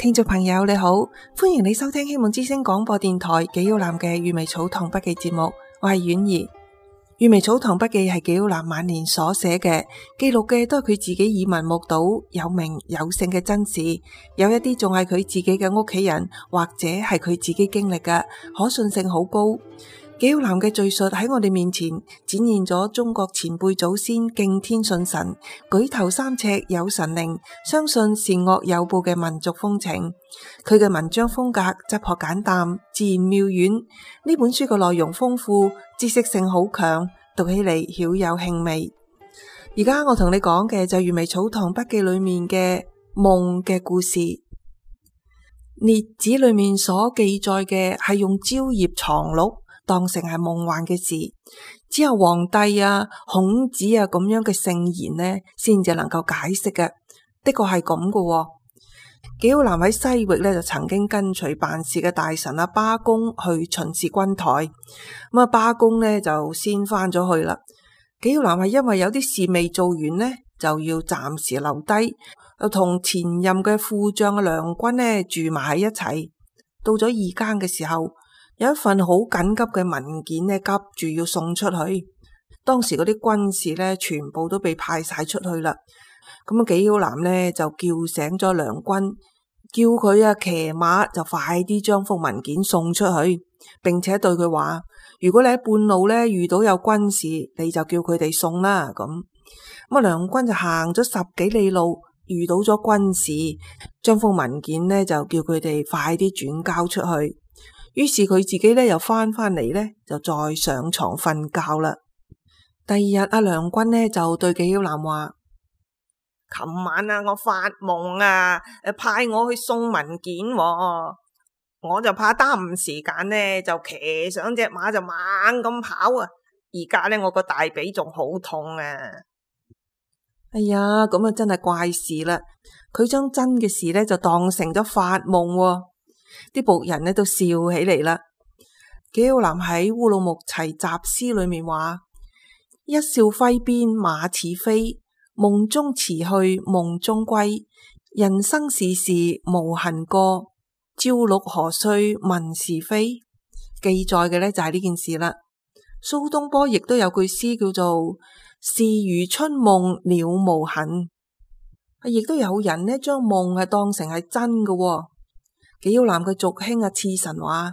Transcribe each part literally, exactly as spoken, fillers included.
聽眾朋友你好，歡迎你收聽希望之聲廣播電台紀曉嵐嘅閱微草堂筆記節目，我係婉兒。閱微草堂筆記係紀曉嵐晚年所寫嘅，記錄嘅都係佢自己耳聞目睹有名有姓嘅真事，有一啲仲係佢自己嘅屋企人或者係佢自己經歷嘅，可信性好高。紀曉嵐嘅敘述喺我哋面前展現咗中國前輩祖先敬天信神、舉頭三尺有神靈、相信善惡有報嘅民族風情。佢嘅文章風格質樸簡淡、自然妙遠。呢本書嘅內容豐富，知識性好強，讀起嚟曉有興味。而家我同你講嘅就係閱微草堂筆記裏面嘅夢嘅故事。列子裏面所記載嘅係用蕉葉藏錄當成係夢幻嘅事，只有皇帝啊、孔子啊咁樣嘅聖賢呢，先至能夠解釋嘅。的確係咁嘅。紀曉嵐喺西域呢，就曾經跟隨辦事嘅大臣阿巴公去巡視軍台，咁啊巴公呢就先翻咗去啦。紀曉嵐係因為有啲事未做完呢，就要暫時留低，又同前任嘅副將嘅梁君呢住埋喺一齊。到咗二更嘅時候，有一份好緊急嘅文件呢，急住要送出去。當時嗰啲軍士呢，全部都被派晒出去啦。咁啊，紀曉嵐呢就叫醒咗梁君，叫佢啊騎馬就快啲將幅文件送出去，並且對佢話：如果你喺半路呢遇到有軍士，你就叫佢哋送啦。咁咁啊，梁君就行咗十幾里路，遇到咗軍士，將幅文件呢就叫佢哋快啲轉交出去。於是佢自己咧又翻返嚟咧，就再上床瞓覺啦。第二日阿梁君呢就對紀曉嵐話：琴晚啊，我發夢啊，誒派我去送文件喎，我就怕耽誤時間呢，就騎上隻馬就猛咁跑啊。而家咧我個大髀仲好痛啊！哎呀，咁啊真係怪事啦！佢將真嘅事咧就當成咗發夢喎。啲僕人呢都笑起嚟啦。紀曉嵐喺《烏魯木齊集詩》裏面話：一笑揮鞭馬似飛，夢中辭去夢中歸。人生事事無痕過，朝六何須問是非。記載嘅呢就係呢件事啦。蘇東坡亦都有句詩叫做事如春夢了無痕。亦都有人呢將夢係當成係真嘅喎。紀曉嵐嘅族兄啊，刺臣話：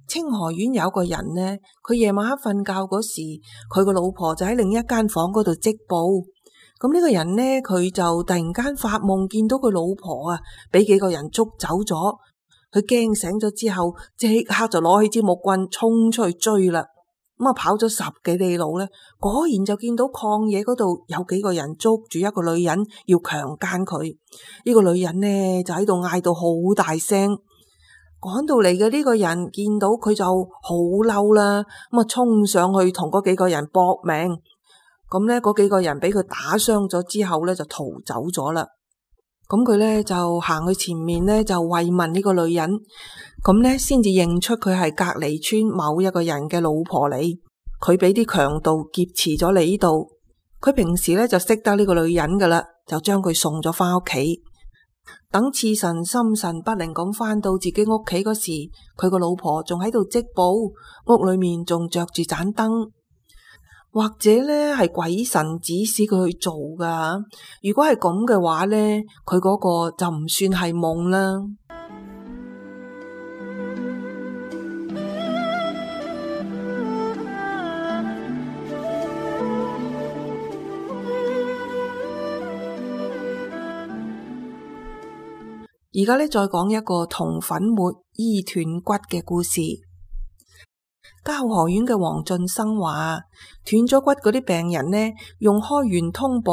清河縣有個人呢，佢夜晚黑瞓覺嗰時，佢個老婆就喺另一間房嗰度織布。咁呢個人呢，佢就突然間發夢見到佢老婆啊，俾幾個人捉走咗。佢驚醒咗之後，即刻就攞起支木棍衝出去追啦。咁啊，跑咗十幾里路呢，果然就見到曠野嗰度有幾個人捉住一個女人要強姦佢。呢個女人呢就喺度嗌到好大聲。趕到嚟嘅呢個人見到佢就好嬲啦，咁啊衝上去同嗰幾個人搏命。咁呢，嗰幾個人俾佢打傷咗之後呢，就逃走咗啦。咁佢呢就行去前面呢，就慰問呢個女人，咁呢先至認出佢係隔離村某一個人嘅老婆嚟。佢俾啲強盜劫持咗嚟呢度。佢平時呢就識得呢個女人噶啦，就將佢送咗翻屋企。等刺臣心神不寧咁翻到自己屋企嗰時，佢個老婆仲喺度織布，屋裏面仲着住盞燈。或者呢係鬼神指使佢去做噶。如果係咁嘅話呢，佢嗰個就唔算係夢啦。而家呢，再講一個銅粉末醫斷骨嘅故事。交河縣嘅黃進生話，斷咗骨嗰啲病人呢，用開元通寶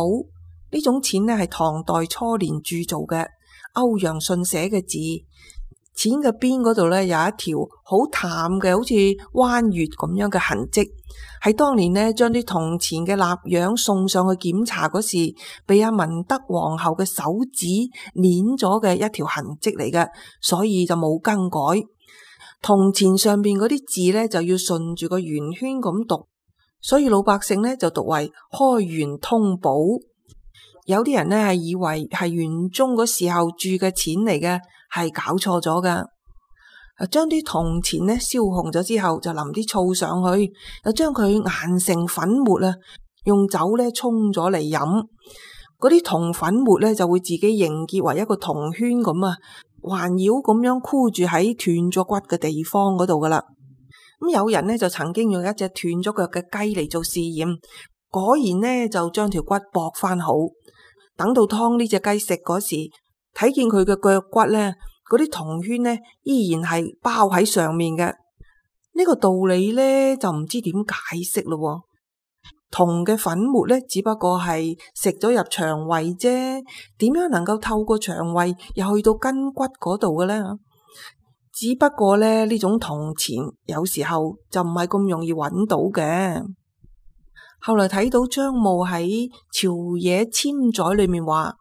呢種錢呢係唐代初年鑄造嘅歐陽信寫嘅字，錢嘅邊嗰度呢有一條好淡嘅好似彎月咁樣嘅痕跡，係當年呢將啲銅錢嘅蠟樣送上去檢查嗰時，被阿文德皇后嘅手指捻咗嘅一條痕跡嚟嘅，所以就冇更改。銅錢上邊嗰啲字呢，就要順住個圓圈咁讀，所以老百姓呢就讀為開元通寶。有啲人呢係以為係玄宗嗰時候鑄嘅錢嚟嘅，係搞錯咗噶。將啲銅錢呢燒紅咗之後，就淋啲醋上去，又將佢研成粉末啊，用酒呢沖咗嚟飲。嗰啲銅粉末呢就會自己凝結為一個銅圈咁啊，環繞咁樣箍住喺斷咗骨嘅地方嗰度噶啦。咁有人呢就曾經用一隻斷咗腳嘅雞嚟做試驗，果然呢就將條骨駁翻好。等到劏呢隻雞食嗰時，睇見佢嘅腳骨呢，嗰啲銅圈呢依然係包喺上面嘅。呢個道理呢就唔知點解釋咯。銅嘅粉末呢只不過係食咗入腸胃啫，點樣能夠透過腸胃又去到筋骨嗰度嘅呢？只不過呢呢種銅錢有時候就唔係咁容易揾到嘅。後來睇到張墓喺朝野簽載裏面話，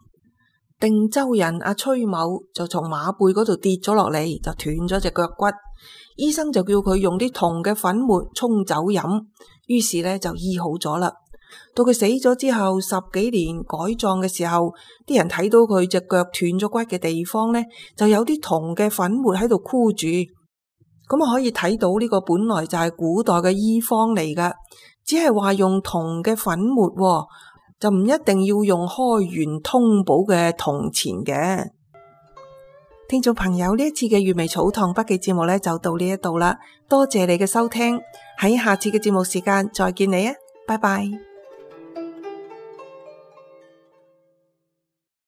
定州人阿崔某就從馬背嗰度跌咗落嚟，就斷咗隻腳骨。醫生就叫佢用啲銅嘅粉末沖酒飲，於是呢就醫好咗啦。到佢死咗之後十幾年改葬嘅時候，啲人睇到佢隻腳斷咗骨嘅地方呢，就有啲銅嘅粉末喺度箍住。咁啊可以睇到呢個本來就係古代嘅醫方嚟噶，只係話用銅嘅粉末，就唔一定要用開元通寶嘅銅錢嘅。聽眾朋友，呢一次嘅粵微草堂筆記節目呢就到呢一度啦，多謝你嘅收聽，喺下次嘅節目時間再見你啊，拜拜。